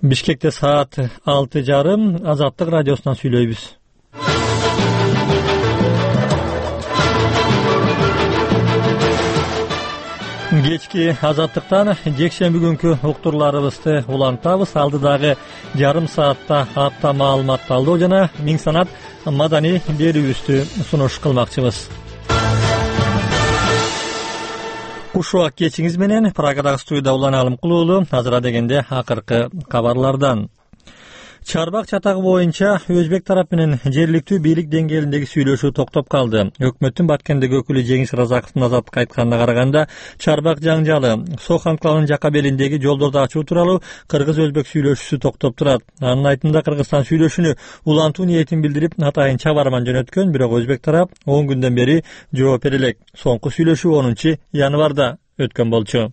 Бишкекте саат 6:30 Азаттык радиосунан сүйлөйбүз. Кечки Азаттыктан жекшемби күнкү уктурларыбызды улантабыз. Алдыдагы жарым саатта апта маалымат талдоо жана миң санат маданий берүүбүздү сунуш кылмакчыбыз. Куш убак кечиңиз менен Прагадагы студияда Улан Алымкулуулу. Азыра дегенде акыркы кабарлардан. Чарбак чатагы боюнча Өзбек тарап менен жергиликтүү бийлик деңгээлиндеги сүйлөшүү токтоп калды. Өкмөттүн Баткендеги өкүлү Жеңиш Разаковдун Азаттыкка айтканына караганда, Чарбак жаңжалы Сох анклавынын жака белиндеги жолдорду ачуу тууралуу кыргыз-өзбек сүйлөшүүсү токтоп турат. Анын айтымында Кыргызстан сүйлөшүүнү улантуу ниетин билдирип, атайын чабарман жөнөткөн, бирок Өзбек тарап 10 күндөн бери жооп бере элек. Соңку сүйлөшүү 10 январда өткөн болчу.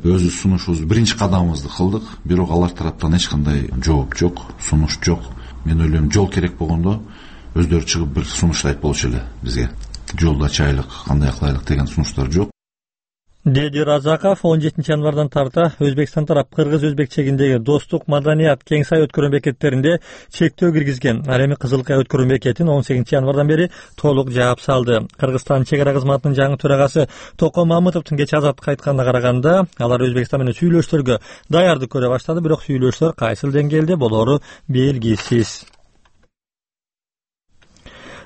Өзү сунушубуз биринчи кадамыбызды кылдык, бирок алар тараптан эч кандай жооп жок, сунуш жок. Мен ойлойм, жол керек болгондо өздөрү чыгып бир сунуштайт болчу эле бизге. Жолду ачайлык, кандай кылайлык деген сунуштар жок. Деди Разаков 17 январдан тарта Өзбекстан тарап кыргыз-өзбек чегиндеги достук, маданият, кең сай өткөрүү бекеттеринде чектөө киргизген. Ал эми Кызыл Кая өткөрүү бекетин 18 январдан бери толук жаап салды. Кыргызстан чек ара кызматынын жаңы төрагасы Токо Мамытовдун кечээ Азаттыкка айтканына караганда, алар Өзбекстан менен сүйлөшүүлөргө даярдык көрө баштады, бирок сүйлөшүүлөр кайсыл деңгээлде болору белгисиз.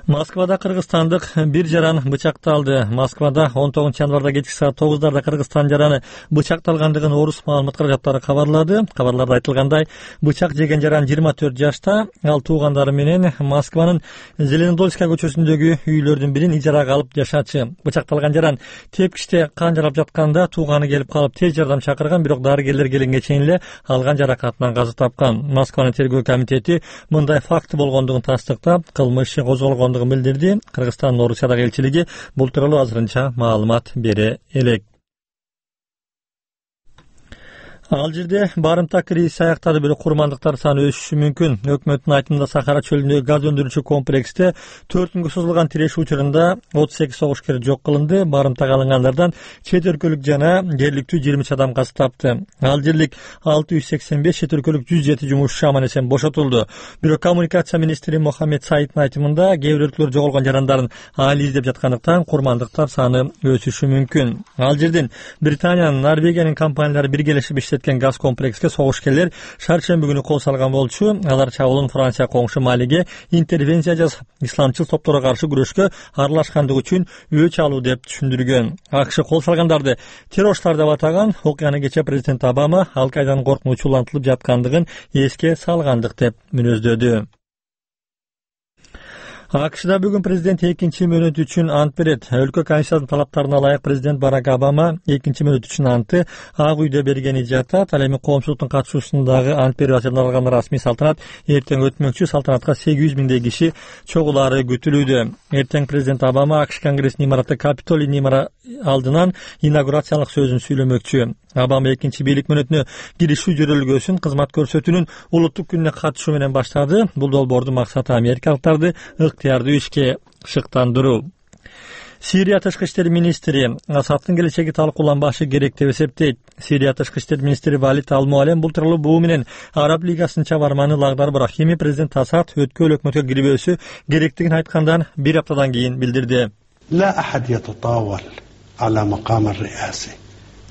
Москвада кыргызстандык бир жаран бычакталды. Москвада 19 январда кечки саат 9:00 Кыргызстан жараны бычакталгандыгын орус маалымат каражаттары кабарлады. Кабарларда айтылгандай, бычак жеген жаран 24 жашта, ал туугандары менен Москванын Зеленодольская көчөсүндөгү үйлөрдүн бирин ижарага алып жашачы. Бычакталган жаран тепкичте кан жарап жатканда тууганы келип калып тез жардам чакырган, бирок дарыгерлер келгенге чейин эле алган жаракатынан каза тапкан. Москванын тергөө комитети мындай факт болгондугун тастыктап, кылмыш иши козголгондугун билдирди. Кыргызстандын Орусиядагы элчилиги бул тууралуу азырынча маалымат бере элек. Ал жерде барымта кризис аяктады, бирок курмандыктар саны өсүшү мүмкүн. Өкмөттүн айтымында Сахара чөлүндөгү газ өндүрүүчү комплексте 4 күнгө созулган тирешүү учурунда 38 согушкер жок кылынды. Барымтага алынгандардан чет өлкөлүк жана жергиликтүү 20 адам каза тапты. Ал жерлик 685, чет өлкөлүк 107 жумушчу аман эсен бошотулду. Бирок коммуникация министри Мохаммед Саиддин айтымында кээ бир өлкөлөр жоголгон жарандарын али издеп жаткандыктан курмандыктар саны өсүшү мүмкүн. Ал жерден Британиянын, Норвегиянын компаниялары биргелешип газ комплекске согушкерлер шаршемби күнү кол салган болчу. Алар чабуулун Франция коңшу Малиге интервенция жасап, исламчыл топторго каршы күрөшкө аралашкандыгы үчүн өч алуу деп түшүндүргөн. АКШ кол салгандарды террористтар деп атаган. Окуяны кечээ президент Обама Ал-Кайданын коркунучу улантылып жаткандыгын эске салгандык деп мүнөздөдү. АКШда бүгүн президент экинчи мөөнөт үчүн ант берет. Өлкө конституциясынын талаптарына ылайык президент Барак Обама экинчи мөөнөт үчүн антты Ак үйдө бергени жатат. Ал эми коомчулуктун катышуусундагы ант берүү ачылган расмий салтанат эртең өтмөкчү. Салтанатка 800 миңдей киши чогулаары күтүлүүдө. Эртең президент Обама АКШ Конгрессинин имараты Капитолийдин алдынан инаугурациялык сөзүн сүйлөмөкчү. Обама экинчи бийлик мөөнөтүнө киришүү жөрөлгөсүн кызмат көрсөтүүнүн улуттук күнүнө катышуу менен баштады. Бул долбоордун максаты америкалыктарды ыктыярдуу ишке шыктандыруу. Сирия тышкы иштер министри Асадтын келечеги талкууланбашы керек деп эсептейт. Сирия тышкы иштер министри Валид Ал-Муалем бул тууралуу буу менен Араб лигасынын чабарманы Лагдар Брахими президент Асад өткөл өкмөткө кирбөөсү керектигин айткандан бир аптадан кийин билдирди.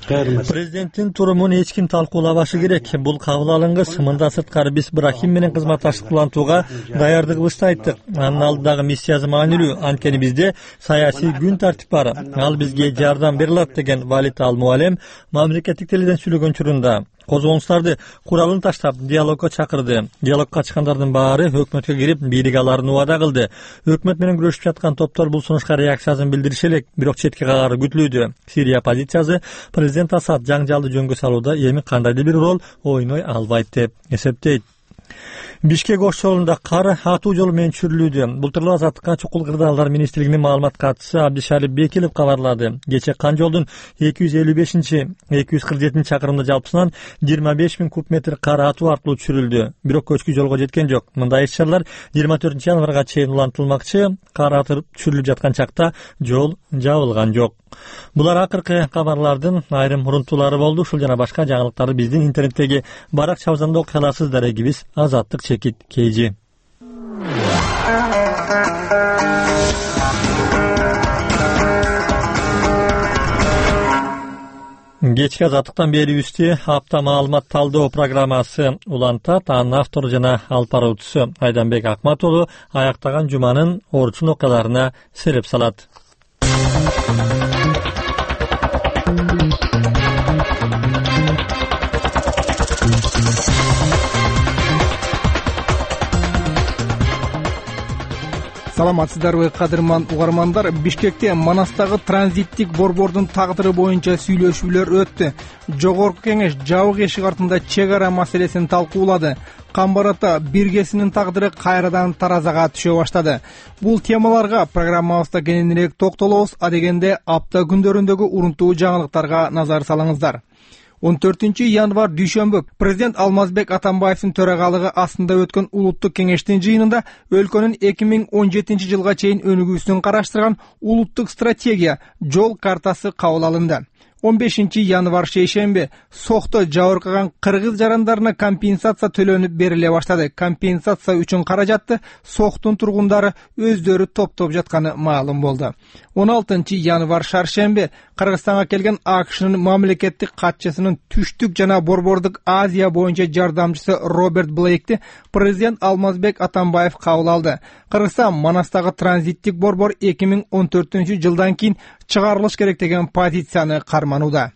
Президенттин турумун эч ким талкуулабашы керек. Бул кабыл алынгыс. Мындан сырткары биз Брахим менен кызматташтык улантууга даярдыгыбызды айттык. Анын алдындагы миссиясы маанилүү. Анткени бизде саясий күн тартип бар. Ал бизге жардам бере алат деген Валид Ал-Муалем мамлекеттик теледен сүйлөгөн учурунда козголуңуштарды куралын таштап диалогко чакырды. Диалогко чыккандардын баары өкмөткө кирип бийлик аларын убада кылды. Өкмөт менен күрөшүп жаткан топтор бул сунушка реакциясын билдириши элек, бирок четке кагаары күтүлүүдө. Сирия оппозициясы президент Асад жаңжалды жөнгө салууда эми кандайдыр бир роль ойной албайт деп эсептейт. Бишкек ош жолунда кар атуу жолу менен чүрүлүүдө. Былтыр Азаттыкка чукул кырдаалдар министрлигинин маалымат катчысы Абдишалип Бекилов кабарлады. Кечээ Кан жолдун 255-247 чакырымда жалпысынан 25 000 куб метр кар атуу аркылуу чүрүлдү. Бирок көчкү жолго жеткен жок. Мындай иш-чаралар 24 январга чейин улантылмакчы. Кар атып чүрүлүп жаткан чакта жол жабылган жок. Булар акыркы кабарлардын айрым урунтуулары болду. Ушул жана башка жаңылыктарды биздин интернеттеги баракчабыздан окуй аласыз. Дарегибиз Азаттык чекит KG. Кечки Азаттыктан берүүбүздү апта маалымат талдоо программасы улантат. Анын автору жана алып баруучусу Айданбек Акматулу аяктаган жуманын орчун окуяларына сереп салат. Саламатсыздарбы, кадырман угармандар. Бишкекте Манастагы транзиттик борбордун тагдыры боюнча сүйлөшүүлөр өттү. Жогорку кеңеш жабык эшик артында чек ара маселесин талкуулады. Камбарата биргесинин тагдыры кайрадан таразага түшө баштады. Бул темаларга программабызда кененирээк токтолобуз. Адегенде апта күндөрүндөгү урунтуу жаңылыктарга назар салыңыздар. 14 январ дүйшөмбү президент Алмазбек Атамбаевдин төрагалыгы астында өткөн улуттук кеңештин жыйынында өлкөнүн 2017 жылга чейин өнүгүүсүн караштырган улуттук стратегия жол картасы кабыл алынды. 15 январ шейшемби Сохто жабыркаган кыргыз жарандарына компенсация төлөнүп бериле баштады. Компенсация үчүн каражатты Сохтун тургундары өздөрү топтоп жатканы маалым болду. 16 январ шаршемби Кыргызстанга келген АКШнын мамлекеттик катчысынын түштүк жана борбордук Азия боюнча жардамчысы Роберт Блейкти президент Алмазбек Атамбаев кабыл алды. Кыргызстан Манастагы транзиттик борбор 2014 жылдан кийин чыгарылыш керек деген позицияны карманууда.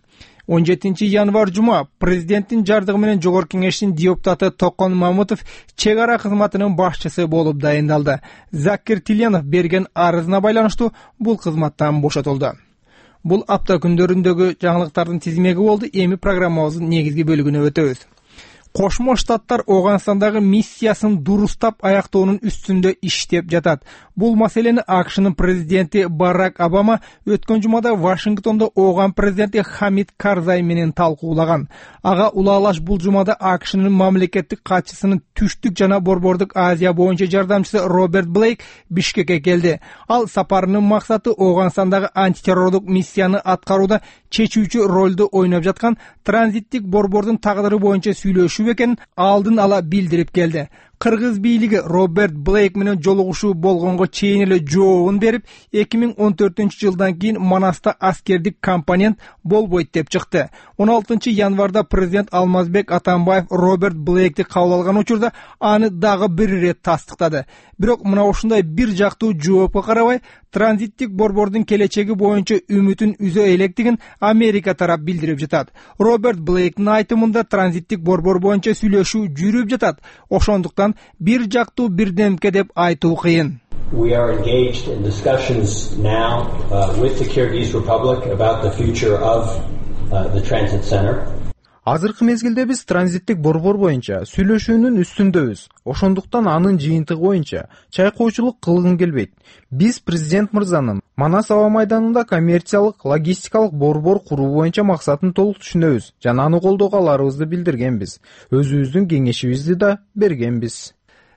17 январ жума президенттин жардыгы менен жогорку кеңештин депутаты Токон Мамутов чек ара кызматынын башчысы болуп дайындалды. Закир Тиленов берген арызына байланыштуу бул кызматтан бошотулду. Бул апта күндөрүндөгү жаңылыктардын тизмеги болду. Эми программабыздын негизги бөлүгүнө өтөбүз. Кошмо Штаттар Оганстандагы миссиясын дурустап аяктоонун үстүндө иштеп жатат. Бул маселени АКШнын президенти Барак Обама өткөн жумада Вашингтондо Оган президенти Хамид Карзай менен талкуулаган. Ага улаалаш бул жумада АКШнын мамлекеттик катчысынын түштүк жана борбордук Азия боюнча жардамчысы Роберт Блейк Бишкекке келди. Ал сапарынын максаты Оганстандагы антитеррордук миссияны аткарууда чечүүчү ролду ойноп жаткан транзиттик борбордун тагдыры боюнча сүйлөшүү экенин алдын ала билдирип келди. Кыргыз бийлиги Роберт Блейк менен жолугушуу болгонго чейин эле жообун берип, 2014 жылдан кийин Манаста аскердик компонент болбойт деп чыкты. 16 январда президент Алмазбек Атамбаев Роберт Блейкти кабыл алган учурда аны дагы бир ирет тастыктады. Бирок мына ушундай бир жактуу жоопко карабай, транзиттик борбордун келечеги боюнча үмүтүн үзө электигин Америка тарап билдирип жатат. Роберт Блейктин айтымында транзиттик борбор боюнча сүйлөшүү жүрүп жатат. Ошондуктан бир жактуу бирдемке деп айтуу кыйын. We are engaged in discussions now with the Kyrgyz Republic about the future of the transit center. Азыркы мезгилде биз транзиттик борбор боюнча сүйлөшүүнүн үстүндөбүз. Ошондуктан анын жыйынтыгы боюнча чайкоочулук кылгым келбейт. Биз президент мырзанын Манас аба майданында коммерциялык, логистикалык борбор куруу боюнча максатын толук түшүнөбүз жана аны колдоого аларыбызды билдиргенбиз. Өзүбүздүн кеңешибизди да бергенбиз.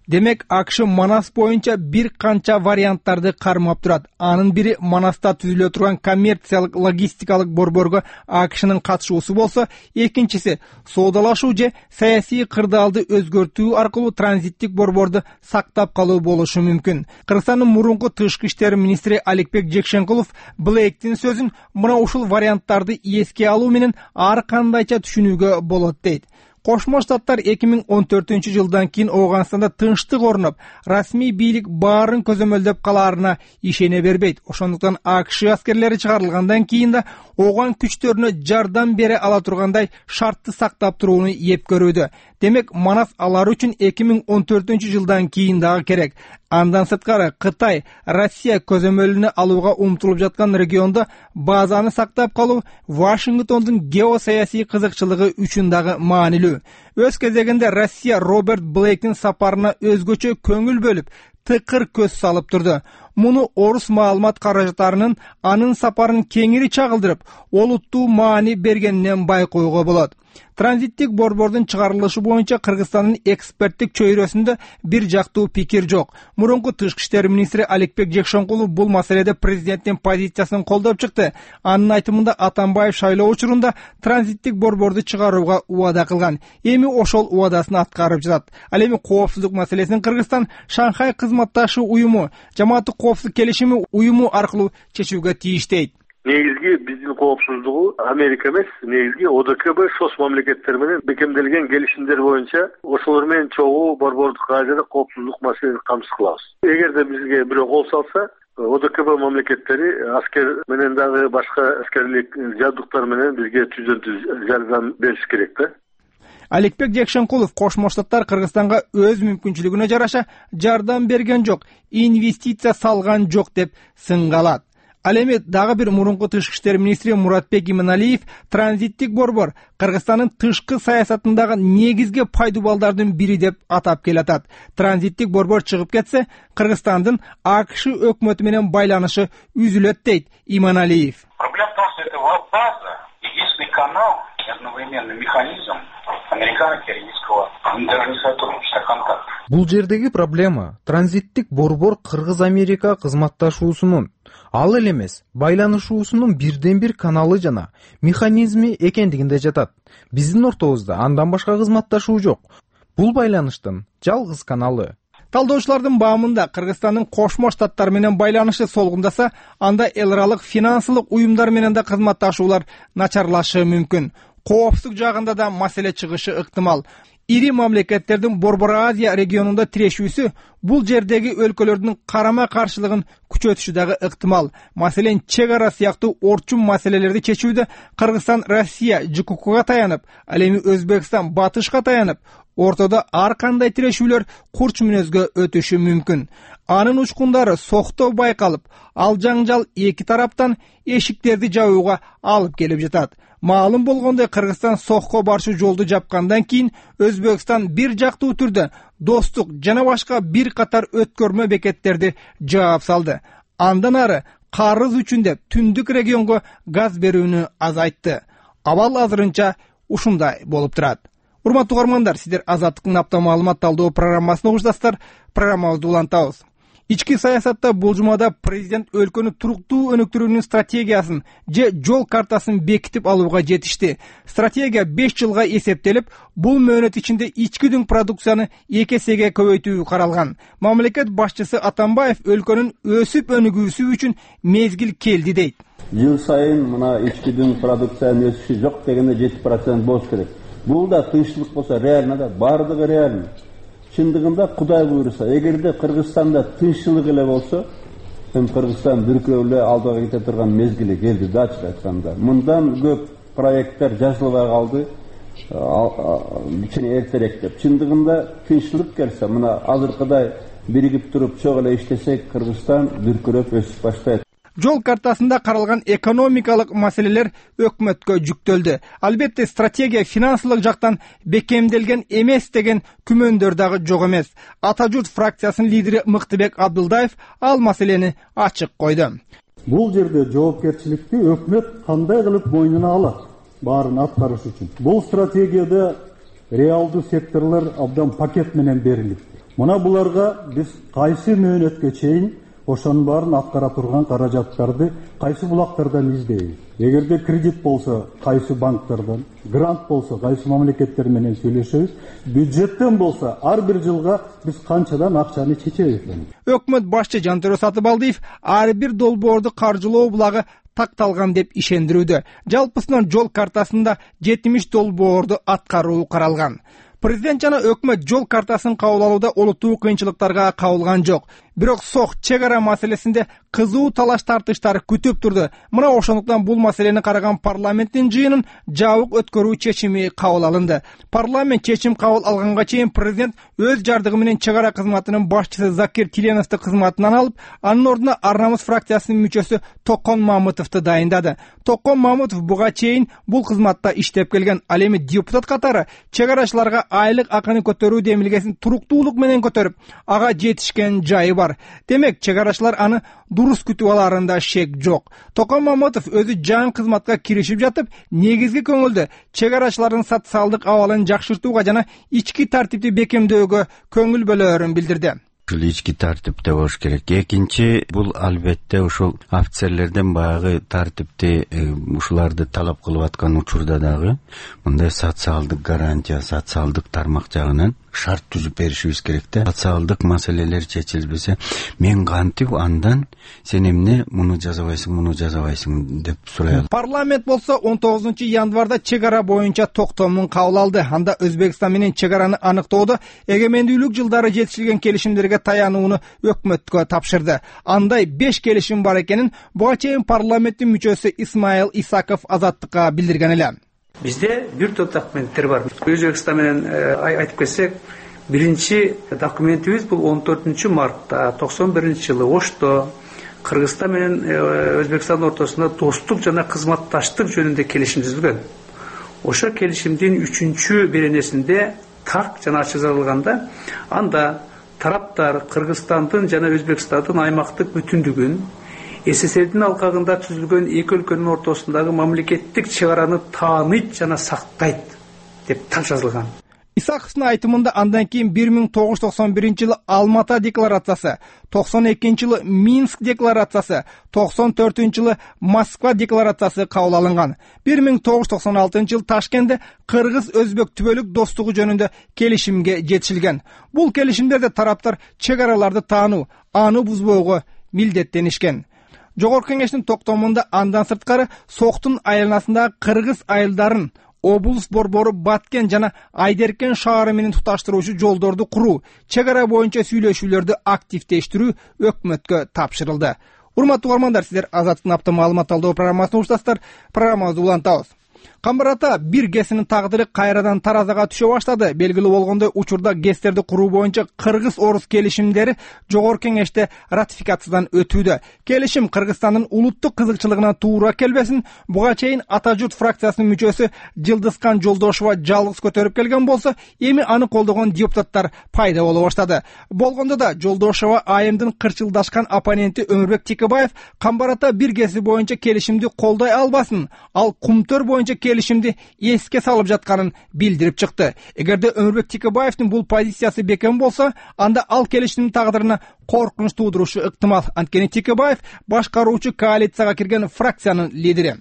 Демек, АКШ Манас боюнча бир канча варианттарды кармап турат. Анын бири Манаста түзүлө турган коммерциялык логистикалык борборго АКШнын катышуусу болсо, экинчиси соодалашуу же саясий кырдаалды өзгөртүү аркылуу транзиттик борборду сактап калуу болушу мүмкүн. Кыргызстандын мурунку тышкы иштер министри Аликбек Жекшенкулов Блейктин сөзүн мына ушул варианттарды эске алуу менен ар кандайча түшүнүүгө болот дейт. Кошмо Штаттар 2014 жылдан кийин Оганстанда тынчтык орноп, расмий бийлик баарын көзөмөлдөп калаарына ишене бербейт. Ошондуктан АКШ аскерлери чыгарылгандан кийин да Оган күчтөрүнө жардам бере ала тургандай шартты сактап турууну еп көрүүдө. Демек Манас алар үчүн 2014-жылдан кийин дагы керек. Андан сырткары Кытай, Россия көзөмөлүнө алууга умтулуп жаткан региондо базаны сактап калуу Вашингтондун геосаясий кызыкчылыгы үчүн дагы маанилүү. Өз кезегинде Россия Роберт Блейктин сапарына өзгөчө көңүл бөлүп, тыкыр көз салып турду. Муну орус маалымат каражаттарынын анын сапарын кеңири чагылдырып, олуттуу маани бергенинен байкоого болот. Транзиттик борбордун чыгарылышы боюнча Кыргызстандын эксперттик чөйрөсүндө бир жактуу пикир жок. Мурунку тышкы иштер министри Аликбек Жекшенкулов бул маселеде президенттин позициясын колдоп чыкты. Анын айтымында Атамбаев шайлоо учурунда транзиттик борборду чыгарууга убада кылган. Эми ошол убадасын аткарып жатат. Ал эми коопсуздук маселесин Кыргызстан Шанхай кызматташы уюму, жамааттык коопсуздук келишими уюму аркылуу чечүүгө тийиштейт. Негизги биздин коопсуздугу Америка эмес, негизги ОДКБ ШОС мамлекеттери менен бекемделген келишимдер боюнча ошолор менен чогуу борбордук ажыда коопсуздук маселесин камсыз кылабыз. Эгерде бизге бирөө кол салса, ОДКБ мамлекеттери аскер менен дагы башка аскерлик жабдыктар менен бизге түздөн-түз жардам бериш керек да. Аликбек Жекшенкулов Кошмо Штаттар Кыргызстанга өз мүмкүнчүлүгүнө жараша жардам берген жок, инвестиция салган жок деп сынгалат. Ал эми дагы бир мурунку тышкы иштер министри Муратбек Иманалиев транзиттик борбор Кыргызстандын тышкы саясатындагы негизги пайдубалдардын бири деп атап келатат. Транзиттик борбор чыгып кетсе, Кыргызстандын АКШ өкмөтү менен байланышы үзүлөт дейт Иманалиев. Проблема в том, что это веб-база, единственный канал и одновременно механизм американо-киргизского интернет сотрудничества, контакт. Бул жердеги проблема транзиттик борбор Кыргыз-Америка кызматташуусунун ал эле эмес, байланышуусунун бирден бир каналы жана механизми экендигинде жатат. Биздин ортобузда андан башка кызматташуу жок. Бул байланыштын жалгыз каналы. Талдоочулардын баамында Кыргызстандын Кошмо Штаттар менен байланышы солгундаса, анда эл аралык финансылык уюмдар менен да кызматташуулар начарлашы мүмкүн. Коопсуздук жагында да маселе чыгышы ыктымал. Ири мамлекеттердин Борбор Азия регионунда тирешүүсү бул жердеги өлкөлөрдүн карама каршылыгын күчөтүшү дагы ыктымал. Маселен, чек ара сыяктуу орчун маселелерди чечүүдө Кыргызстан Россия ЖККга таянып, ал эми Өзбекстан Батышка таянып, ортодо ар кандай тирешүүлөр курч мүнөзгө өтүшү мүмкүн. Анын учкундары сокто байкалып, ал жаңжал эки тараптан эшиктерди жабууга алып келип жатат. Маалым болгондой, Кыргызстан сокко барчу жолду жапкандан кийин Өзбекстан бир жактуу түрдө достук жана башка бир катар өткөрмө бекеттерди жаап салды. Андан ары карыз үчүн деп түндүк регионго газ берүүнү азайтты. Абал азырынча ушундай болуп турат. Урматтуу угармандар, сиздер Азаттыктын апта маалымат талдоо программасын угушасыздар. Программабызды улантабыз. Ички саясатта бул жумада президент өлкөнү туруктуу өнүктүрүүнүн стратегиясын же жол картасын бекитип алууга жетишти. Стратегия 5 жылга эсептелип, бул мөөнөт ичинде ички дүң продукцияны 2 эсеге көбөйтүү каралган. Мамлекет башчысы Атамбаев өлкөнүн өсүп өнүгүүсү үчүн мезгил келди дейт. Жыл сайын мына ички дүң продукциянын өсүшү жок дегенде 7% болуш керек. Бул да тынччылык болсо реально да, бардыгы реально. Чындыгында Кудай буйруса, эгерде Кыргызстанда тынччылык эле болсо, Кыргызстан бүркөп эле алдыга кете турган мезгили келди да, ачык айтканда. Мындан көп проекттер жазылбай калды, кичине эртерээк деп. Чындыгында тынччылык келсе, мына азыркыдай биригип туруп чок эле иштесек, Кыргызстан бүркүрөп өсүп баштайт. Жол картасында каралган экономикалык маселелер өкмөткө жүктөлдү. Албетте, стратегия финансылык жактан бекемделген эмес деген күмөндөр дагы жок эмес. Ата журт фракциясынын лидери Мыктыбек Абдылдаев ал маселени ачык койду. Бул жерде жоопкерчиликти өкмөт кандай кылып мойнуна алат, баарын аткарыш үчүн. Бул стратегияда реалдуу секторлор абдан пакет менен берилет. Мына буларга биз кайсы мөөнөткө чейин ошонун баарын аткара турган каражаттарды кайсы булактардан издейбиз. Эгерде кредит болсо кайсы банктардан, грант болсо кайсы мамлекеттер менен сүйлөшөбүз, бюджеттен болсо ар бир жылга биз канчадан акчаны чечебиз. Өкмөт башчы Жантөрө Сатыбалдиев ар бир долбоорду каржылоо булагы такталган деп ишендирүүдө. Жалпысынан жол картасында 70 долбоорду аткаруу каралган. Президент жана өкмөт жол картасын кабыл алууда олуттуу кыйынчылыктарга кабылган жок. Бирок сок чек ара маселесинде кызуу талаш тартыштар күтүп турду. Мына ошондуктан бул маселени караган парламенттин жыйынын жабык өткөрүү чечими кабыл алынды. Парламент чечим кабыл алганга чейин президент өз жардыгы менен чек ара кызматынын башчысы Закир Тиленовду кызматынан алып, анын ордуна Ар намыс фракциясынын мүчөсү Токон Мамытовду дайындады. Токон Мамытов буга чейин бул кызматта иштеп келген. Ал эми депутат катары чек арачыларга айлык акыны көтөрүү демилгесин туруктуулук менен көтөрүп, ага жетишкен жайы бар. Демек, чек арачылар аны дурус күтүп аларында шек жок. Токон Мамытов өзү жаңы кызматка киришип жатып, негизги көңүлдү чек арачылардын социалдык абалын жакшыртууга жана ички тартипти бекемдөөгө көңүл бөлөөрүн билдирди. Ички тартипте болуш керек. Экинчи, бул албетте ушул офицерлерден баягы тартипти ушуларды талап кылып аткан учурда дагы мындай социалдык гарантия, социалдык тармак жагынан шарт түзүп беришибиз керек да. Социалдык маселелер чечилбесе, мен кантип андан сен эмне муну жазабайсың деп сурайт. Парламент болсо 19-январда чек ара боюнча токтомун кабыл алды. Анда Өзбекстан менен чек араны аныктоодо эгемендүүлүк жылдары жетишилген келишимдерге таянууну өкмөткө тапшырды. Андай 5 келишим бар экенин буга чейин парламенттин мүчөсү Исмаил Исаков Азаттыкка билдирген эле. Бизде бир топ документтер бар. Өзбекстан менен айтып кетсек, биринчи документибиз бул 14 мартта 91-жылы Ошто Кыргызстан менен Өзбекстан ортосунда достук жана кызматташтык жөнүндө келишим түзүлгөн. Ошо келишимдин 3-чү беренесинде так жана ачык жазылганда, анда тараптар Кыргызстандын жана Өзбекстандын аймактык бүтүндүгүн, СССРдин алкагында түзүлгөн эки өлкөнүн ортосундагы мамлекеттик чек араны тааныйт жана сактайт деп так жазылган. Исаковдун айтымында андан кийин 1991-жылы Алмата декларациясы, 92-жылы Минск декларациясы, 94-жылы Москва декларациясы кабыл алынган. 1996-жылы Ташкентте кыргыз-өзбек түбөлүк достугу жөнүндө келишимге жетишилген. Бул келишимдерде тараптар чек араларды таануу, аны бузбоого милдеттенишкен. Жогорку кеңештин токтомунда андан сырткары соктун айланасындагы кыргыз айылдарын облус борбору Баткен жана Айдеркен шаары менен туташтыруучу жолдорду куруу, чек ара боюнча сүйлөшүүлөрдү активдештирүү өкмөткө тапшырылды. Урматтуу угармандар, сиздер Азаттыктын апта маалымат талдоо программасын угуштасыздар. Программабызды улантабыз. Камбарата бир ГЭСинин тагдыры кайрадан таразага түшө баштады. Белгилүү болгондой, учурда ГЭСтерди куруу боюнча кыргыз-орус келишимдери жогорку кеңеште ратификациядан өтүүдө. Келишим Кыргызстандын улуттук кызыкчылыгына туура келбесин, буга чейин Ата журт фракциясынын мүчөсү Жылдызкан Жолдошова жалгыз көтөрүп келген болсо, эми аны колдогон депутаттар пайда боло баштады. Болгондо да Жолдошова айымдын кырчылдашкан оппоненти Өмүрбек Текебаев Камбарата бир ГЭСи боюнча келишимди колдой албасын, ал Кумтөр боюнча келишимди эске салып жатканын билдирип чыкты. Эгерде Өмүрбек Текебаевдин бул позициясы бекем болсо, анда ал келишимдин тагдырына коркунуч туудурушу ыктымал. Анткени Текебаев башкаруучу коалицияга кирген фракциянын лидери.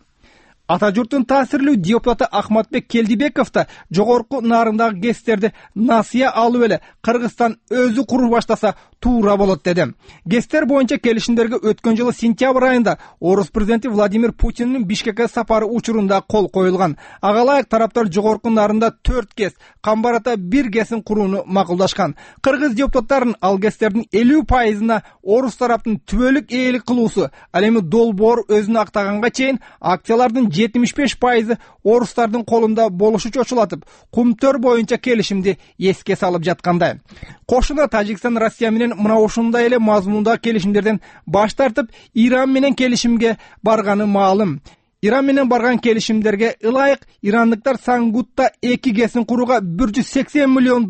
Ата журттун таасирлүү депутаты Ахматбек Келдибеков да жогорку нарындагы ГЭСтерди насыя алып эле Кыргызстан өзү куруп баштаса туура болот деди. ГЭСтер боюнча келишимдерге өткөн жылы сентябрь айында орус президенти Владимир Путиндин Бишкекке сапары учурунда кол коюлган. Ага ылайык тараптар жогорку нарында 4 ГЭС, Камбарата 1 ГЭСин курууну макулдашкан. Кыргыз депутаттарын ал ГЭСтердин 50%-на орус тараптын түбөлүк ээлик кылуусу, ал эми долбоор өзүн актаганга чейин акциялардын 75% орустардын колунда болушу чочулатып, Кумтөр боюнча келишимди эске салып жаткандай. Кошуна Тажикстан Россия менен мына ушундай эле мазмундагы келишимдерден баш тартып, Иран менен келишимге барганы маалым. Иран менен барган келишимдерге ылайык ирандыктар Сангутта 2 ГЭСин курууга $180 миллион,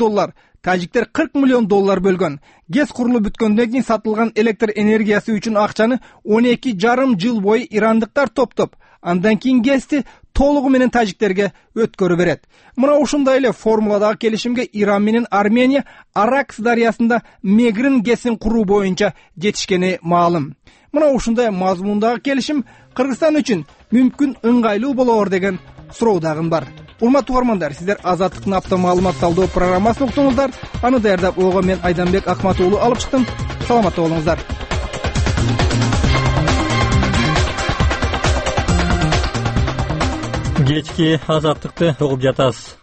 тажиктер $40 миллион бөлгөн. ГЭС курулуп бүткөндөн кийин сатылган электр энергиясы үчүн акчаны 12,5 жыл бою ирандыктар топтоп, андан кийин ГЭСти толугу менен тажиктерге өткөрүп берет. Мына ушундай эле формуладагы келишимге Иран менен Армения Аракс дарыясында Мегрин ГЭСин куруу боюнча жетишкени маалым. Мына ушундай мазмундагы келишим Кыргызстан үчүн мүмкүн ыңгайлуу болоор деген суроо дагы бар. Урматтуу угармандар, сиздер Азаттыктын апта маалымат талдоо программасын уктуңуздар. Аны даярдап ого мен Айданбек Акмат уулу алып чыктым. Саламатта болуңуздар. Кечки Азаттыкты угуп жатасыз.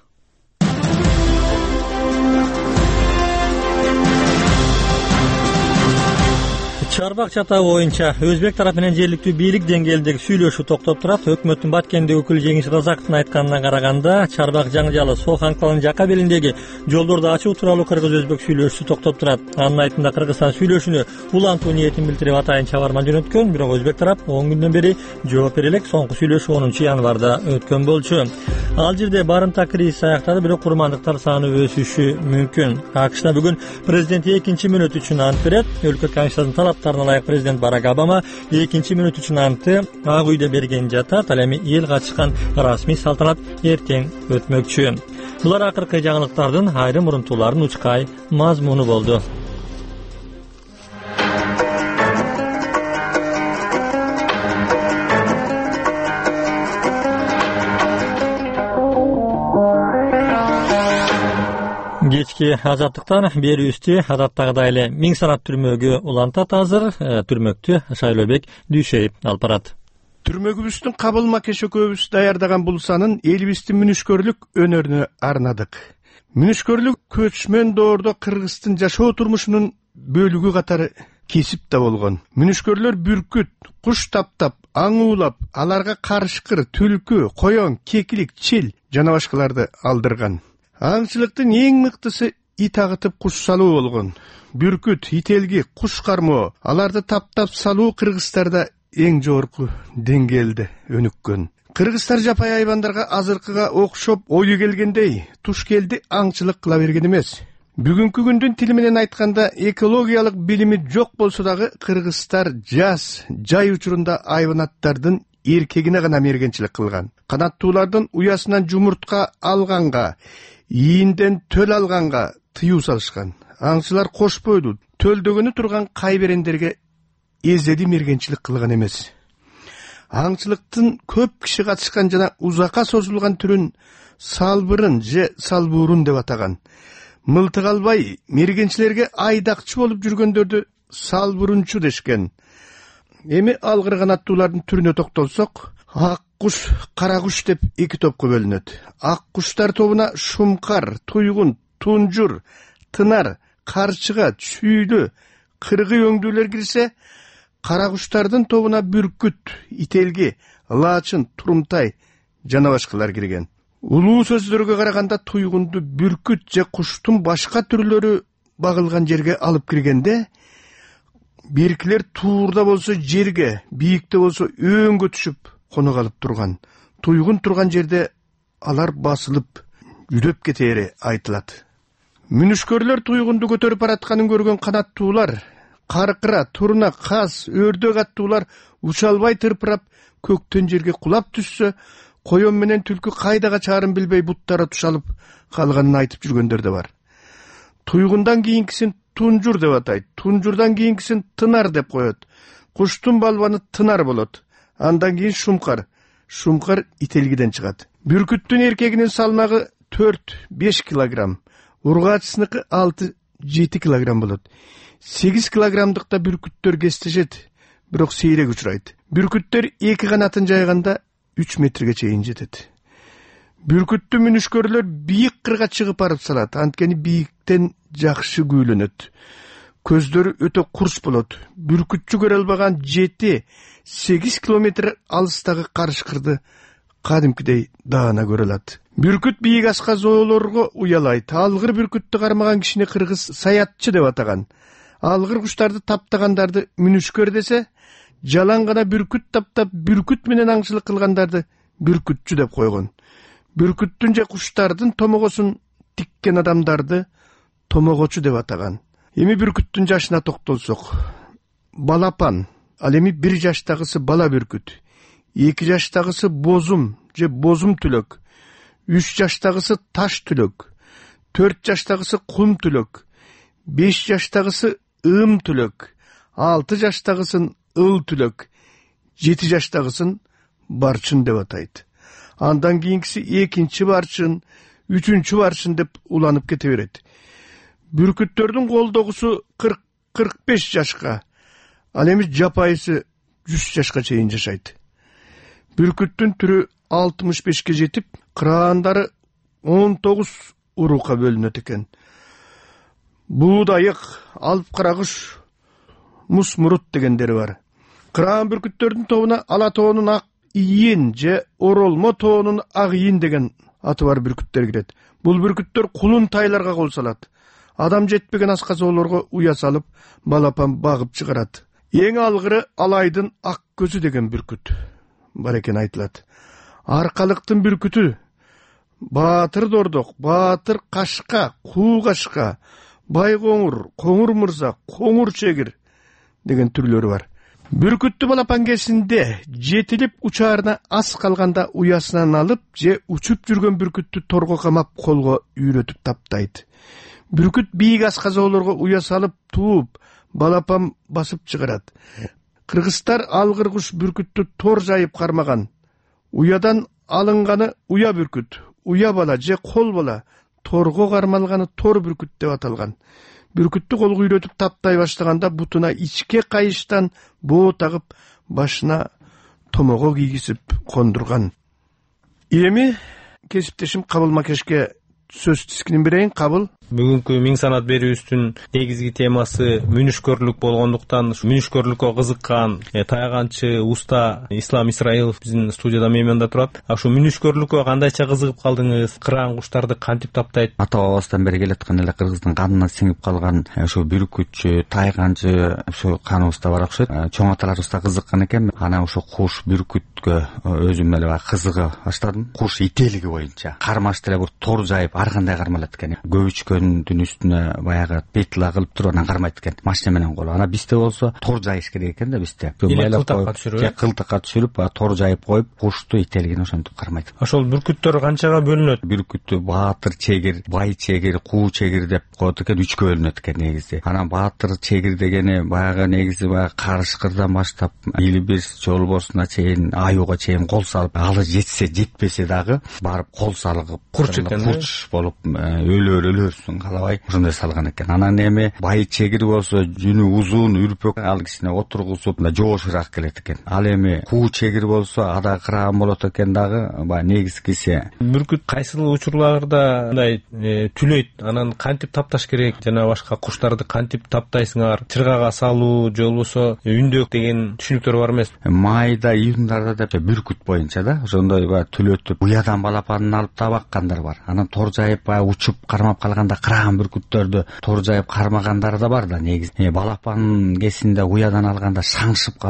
Чарбак чатаы боюнча өзбек тарапы менен жергиликтүү бийлик деңгээлиндеги сүйлөшүү токтоп турат. Өкмөттүн Баткендеги өкүлү Жеңиш Разаковдун айтканына караганда, Чарбак жаңжалы Сохан калын жака белиндеги жолдорду ачуу тууралуу кыргыз-өзбек сүйлөшүүсү токтоп турат. Анын айтымында Кыргызстан сүйлөшүүнү улантуу ниетин билдирип атайын чабарман жөнөткөн, бирок өзбек тарап 10 күндөн бери жооп бере элек. Соңку сүйлөшүү 10 январда өткөн болчу. Ал жерде барымта кризис аяктады, бирок курмандыктар саны өсүшү мүмкүн. АКШда бүгүн президент 2 мүнөт үчүн ант берет. Өлкө Конституциясынын талаптарына ылайык президент Барак Обама 2 мүнөт үчүн антты Ак үйдө берген жатат. Ал эми эл катышкан расмий салтанат эртең өтмөкчү. Булар акыркы жаңылыктардын айрым урунтууларын учкай мазмуну болду. Кечки азаттыктан берүүбүздү адаттагыдай эле миң санат түрмөгү улантат. Азыр түрмөктү Шайлообек Дүйшеев алып барат. Түрмөгүбүздүн кабыл макеш экөөбүз даярдаган бул санын элибиздин мүнүшкөрлүк өнөрүнө арнадык. Мүнүшкөрлүк көчмөн доордо Кыргыздын жашоо турмушунун бөлүгү катары кесип да болгон. Мүнүшкөрлөр бүркүт, куш таптап, аң уулап, аларга карышкыр, түлкү, коён, кекилик, чил жана башкаларды алдырган. Аңчылыктын эң мыктысы ит агытып куш салуу болгон. Бүркүт, ителги, куш кармоо, аларды таптап салуу кыргыздарда эң жогорку деңгээлде өнүккөн. Кыргыздар жапай айбандарга азыркыга окшоп ою келгендей тушкелди аңчылык кыла берген эмес. Бүгүнкү күндүн тили менен айтканда экологиялык билими жок болсо дагы кыргыздар жаз, жай учурунда айбанаттардын эркегине гана мергенчилик кылган. Канаттуулардын уясынан жумуртка алганга, ийинден төл алганга тыюу салышкан. Аңчылар кош бойлуу, төлдөгөнү турган кайберендерге эзеди мергенчилик кылган эмес. Аңчылыктын көп киши катышкан жана узакка созулган түрүн салбырын же салбуурун деп атаган. Мылтык албай мергенчилерге айдакчы болуп жүргөндөрдү салбурунчу дешкен. Эми алгыр канаттуулардын түрүнө токтолсок, ак куш, кара куш деп 2 топко бөлүнөт. Ак куштар тобуна шумкар, туйгун, тунжур, тынар, карчыга, чүйлү, кыргый өңдүүлөр кирсе, кара куштардын тобуна бүркүт, ителги, лаачын, турумтай жана башкалар кирген. Улуу сөздөргө караганда туйгунду бүркүт же куштун башка түрлөрү багылган жерге алып киргенде, беркилер туурда болсо жерге, бийикте болсо өңгө түшүп коно калып турган. Туйгун турган жерде алар басылып жүдөп кетери айтылат. Мүнүшкөрлөр туйгунду көтөрүп баратканын көргөн канаттуулар, каркыра, турна, каз, өрдөк аттуулар уча албай тырпырап көктөн жерге кулап түшсө, коён менен түлкү кайда качаарын билбей буттары тушалып калганын айтып жүргөндөр да бар. Туйгундан кийинкисин тунжур деп атайт, тунжурдан кийинкисин тынар деп коет. Куштун балбаны тынар болот. Андан кийин шумкар. Шумкар ителгиден чыгат. Бүркүттүн эркегинин салмагы 4-5 килограмм. Ургаачысыныкы 6-7 килограмм болот. 8 килограммдыкта бүркүттөр кестешет, бирок сейрек учурайт. Бүркүттөр 2 канатын жайганда 3 метрге чейин жетет. Бүркүттү мүнүшкөрлөр бийик кырга чыгып барып салат, анткени бийиктен жакшы күүлөнөт. Көздөрү өтө курс болот. Бүркүтчү көрө албаган 7-8 километр алыстагы карышкырды кадимкидей даана көрө алат. Бүркүт бийик асказоолорго уялайт. Алгыр бүркүттү кармаган кишини кыргыз саятчы деп атаган. Алгыр куштарды таптагандарды мүнүшкөр десе, жалаң гана бүркүт таптап бүркүт менен аңчылык кылгандарды бүркүтчү деп койгон. Бүркүттүн же куштардын томогосун тиккен адамдарды томогочу деп атаган. Эми бүркүттүн жашына токтолсок, балапан, ал эми 1 жаштагысы бала бүркүт, 2 жаштагысы бозум же бозум түлөк, 3 жаштагысы таш түлөк, 4 жаштагысы кум түлөк, 5 жаштагысы ым түлөк, 6 жаштагысын ыл түлөк, 7 жаштагысын барчын деп атайт. Андан кийинкиси 2-нчи барчын, 3-нчү барчын деп уланып кете берет. Бүркүттөрдүн колдогусу 40-45 жашка, ал эми жапайысы 100 жашка чейин жашайт. Бүркүттүн түрү 65ке жетип, кыраандары 19 урукка бөлүнөт экен. Буудайык, алып карагыш, мусмурут дегендери бар. Кыраан бүркүттөрдүн тобуна ала тоонун ак ийин же оролмо тоонун ак ийин деген аты бар бүркүттер кирет. Бул бүркүттөр кулун тайларга кол салат. Адам жетпеген асказоолорго уя салып, балапан багып чыгарат. Эң алгыры алайдын ак көзү деген бүркүт бар экен айтылат. Аркалыктын бүркүтү, Баатыр Дордок, Баатыр Кашка, Куу Кашка, Бай Коңур, Коңур Мырза, Коңур Чегир деген түрлөрү бар. Бүркүттү балапан кезинде жетилип учаарына аз калганда уясынан алып же учуп жүргөн бүркүттү торго камап колго үйрөтүп таптайт. Бүркүт бийик асказоолорго уя салып тууп, балапан басып чыгарат. Кыргыздар алгыр куш бүркүттү тор жайып кармаган. Уядан алынганы уя бүркүт, уя бала же кол бала, торго кармалганы тор бүркүт деп аталган. Бүркүттү колго үйрөтүп таптай баштаганда бутуна ичке кайыштан боо тагып, башына томого кийгизип кондурган. Эми кесиптешим Кабыл Макешке сөз тискинин берейин. Кабыл. Бүгүнкү миң санат берүүбүздүн негизги темасы мүнүшкөрлүк болгондуктан мүнүшкөрлүккө кызыккан тайганчы уста Ислам Исраилов биздин студияда мейманда турат. Ушу мүнүшкөрлүккө кандайча кызыгып калдыңыз? Кыраан куштарды кантип таптайт? Ата бабабыздан бери келаткан эле кыргыздын канына сиңип калган ушу бүркүтчү, тайганчы ушу каныбызда бар окшойт. Чоң аталарыбыз да кызыккан экен. Анан ушу куш бүркүткө өзүм эле кызыга баштадым. Куш ителиги боюнча кармаш деле бир тор жайып ар кандай кармалат экен. Көбүчкөндүн үстүнө баягы петла кылып туруп анан кармайт экен. Машина менен коло. Анан бизде болсо тор жайыш керек экен да бизде. Кылтакка түшүрүп, тор жайып коюп, кушту ителигин ошентип кармайт. Ошол бүркүттөр канчага бөлүнөт? Бүркүттү Баатыр Чегир, Бай Чегир, Куу Чегир деп коет экен, 3кө бөлүнөт экен негизи. Анан Баатыр Чегир дегени баягы негизи баягы карышкырдан баштап Илибирс жолбосуна чейин, аюуга чейин кол салып, алы жетсе жетпесе дагы барып кол салып, курч болуп өлөрсүң калабай ошондой салган экен. Анан эми Бай Чегир болсо жүнү узун, үрпөк, ал кичине отургузуп жоошураак келет экен. Ал эми Куу Чегир болсо ада кыраан болот экен дагы, баягы негизгиси. Бүркүт кайсыл учурларда мындай түлөйт? Анан кантип тапташ керек? Жана башка куштарды кантип таптайсыңар? Чыргага салуу же болбосо үндөк деген түшүнүктөр бар эмес? Майда, июндарда деп бүркүт боюнча да ошондой баягы түлөтүп, уядан балапанын алып табаккандар бар. Анан тор жайып баягы учуп кармап калганда кыраан бүркүттөрдү тор жайып кармагандар да бар да негизи. Балапан кесинде уядан алганда шаңшып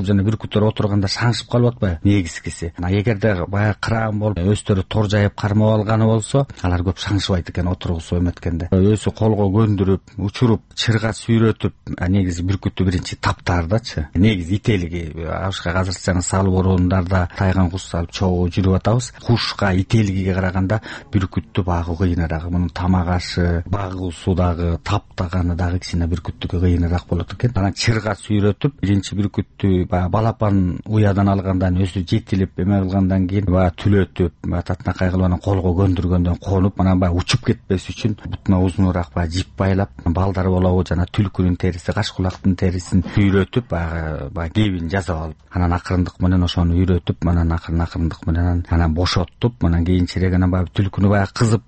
жана бүркүттөр отурганда шаңшып калып атпайбы негизгиси. Эгерде баягы кыраан болуп өздөрү тор жайып кармап алганы болсо, алар көп шаңшыбайт экен отургусуп эметкенде. Өзү колго көндүрүп, учуруп, чырга сүйрөтүп, негизи бүркүттү биринчи таптардачы. Негизи ителиги ашка азырча салып орундарда тайган куш салып чогуу жүрүп атабыз. Кушка ителигиге караганда бүркүттү багуу кыйыныраак. Мунун тамак ашы, багуусу дагы, таптаганы дагы кичине бүркүттүккө кыйыныраак болот экен. Анан чырга сүйрөтүп, биринчи бүркүттү балапан уядан алгандан өзү жетилип эме кылгандан кийин түлөтүп, татынакай кылып анан колго көндүргөндөн конуп, анан учуп кетпес үчүн бутуна узунураак жип байлап, балдар болобу жана түлкүнүн териси, кашкулактын терисин сүйрөтүп, кебин жасап алып, анан акырындык менен ошону үйрөтүп, анан акырындык менен анан бошоттуп, анан кийинчерээк анан түлкүнү кызып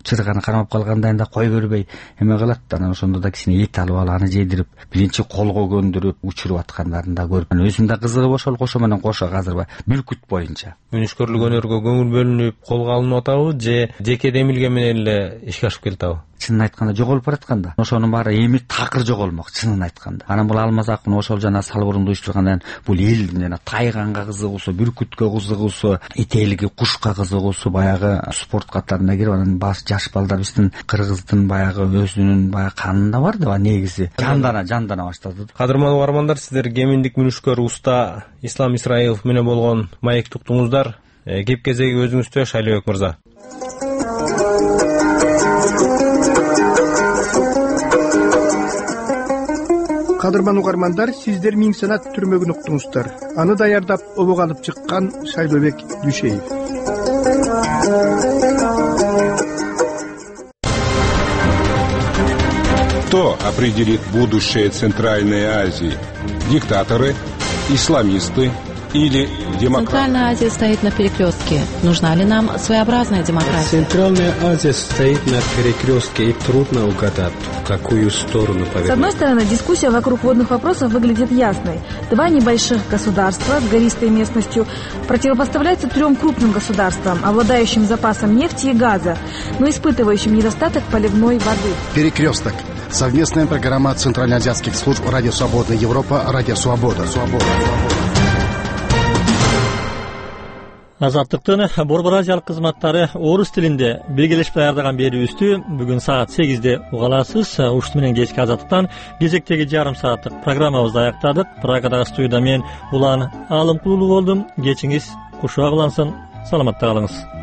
чырганы кармап калгандан да кой бербей эме кылат. Анан ошондо да кичине эт алып аны жедирип, биринчи колго көндүрүп, учуруп аткандарын да көрүп, өзүм да кызыгып ошол кошо менен кошо азыр бүркүт боюнча. Мүнүшкөрлүк өнөргө көңүл бөлүнүп, колго алынып атабы же жеке демилге менен эле ишке ашып келатабы? Чынын айтканда жоголуп баратканда ошонун баары эми такыр жоголмок, чынын айтканда. Анан бул Алмаз Акын ошол жана салбурунду уюштургандан бул элдин жана тайганга кызыгуусу, бүркүткө кызыгуусу, ителиги, кушка кызыгуусу баягы спорт катарына кирип, анан жаш балдар биздин кыргыздын баягы өзүнүн канында бар да негизи жандана баштады. Кадырман угармандар, сиздер кеминдик мүнүшкөр уста Ислам Исраилов менен болгон маекти уктуңуздар. Кеп кезеги өзүңүздө, Шайлообек мырза. Кадырман угармандар, сиздер миң санат түрмөгүн уктуңуздар. Аны даярдап, обого алып чыккан Шайлообек Дүйшеев. Кто определит будущее Центральной Азии? Диктаторы, исламисты или демократия? Центральная Азия стоит на перекрестке. Нужна ли нам своеобразная демократия? Центральная Азия стоит на перекрестке, и трудно угадать, в какую сторону повернуть. С одной стороны, дискуссия вокруг водных вопросов выглядит ясной. Два небольших государства с гористой местностью противопоставляются трем крупным государствам, обладающим запасом нефти и газа, но испытывающим недостаток поливной воды. Перекресток. Совместная программа Центральноазиатских служб «Радио Свобода Европа», «Радио Свобода». Азаттыктын Борбор Азиялык кызматтары орус тилинде белгилешип даярдаган берүүбүздү бүгүн саат 8-де уга аласыз. Ушул менен кечки Азаттыктан кезектеги жарым сааттык программабызды аяктадык. Прагадагы студияда мен Улан Алымкулуу болдум. Кечиңиз кушуак улансын. Саламатта калыңыз.